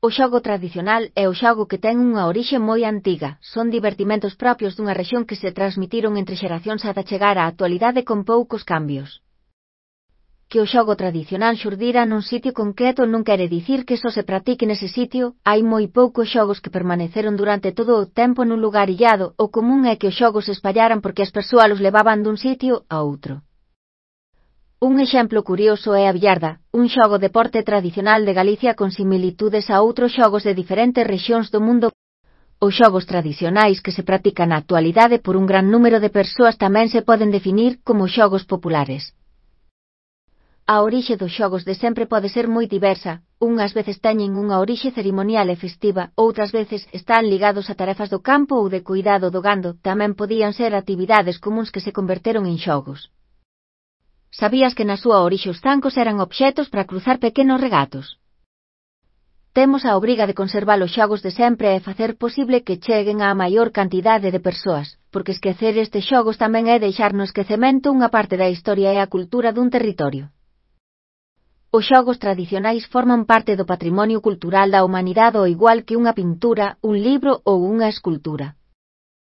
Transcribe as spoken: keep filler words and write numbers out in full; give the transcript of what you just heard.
O xogo tradicional é o xogo que ten unha orixe moi antiga, son divertimentos propios dunha rexión que se transmitiron entre xeracións ata chegar á actualidade con poucos cambios. Que o xogo tradicional xurdira nun sitio concreto non quere dicir que só se practique nese sitio, hai moi poucos xogos que permaneceron durante todo o tempo nun lugar illado, o común é que os xogos se espallaran porque as persoas os levaban dun sitio a outro. Un exemplo curioso é a billarda, un xogo deporte tradicional de Galicia con similitudes a outros xogos de diferentes rexións do mundo. Os xogos tradicionais que se practican na actualidade por un gran número de persoas tamén se poden definir como xogos populares. A orixe dos xogos de sempre pode ser moi diversa, unhas veces teñen unha orixe cerimonial e festiva, outras veces están ligados a tarefas do campo ou de cuidado do gando, tamén podían ser actividades comuns que se converteron en xogos. Sabías que na súa orixe os zancos eran obxetos para cruzar pequenos regatos? Temos a obriga de conservar os xogos de sempre e facer posible que cheguen á maior cantidade de persoas, porque esquecer estes xogos tamén é deixar no esquecemento unha parte da historia e a cultura dun territorio. Os xogos tradicionais forman parte do patrimonio cultural da humanidade ao igual que unha pintura, un libro ou unha escultura.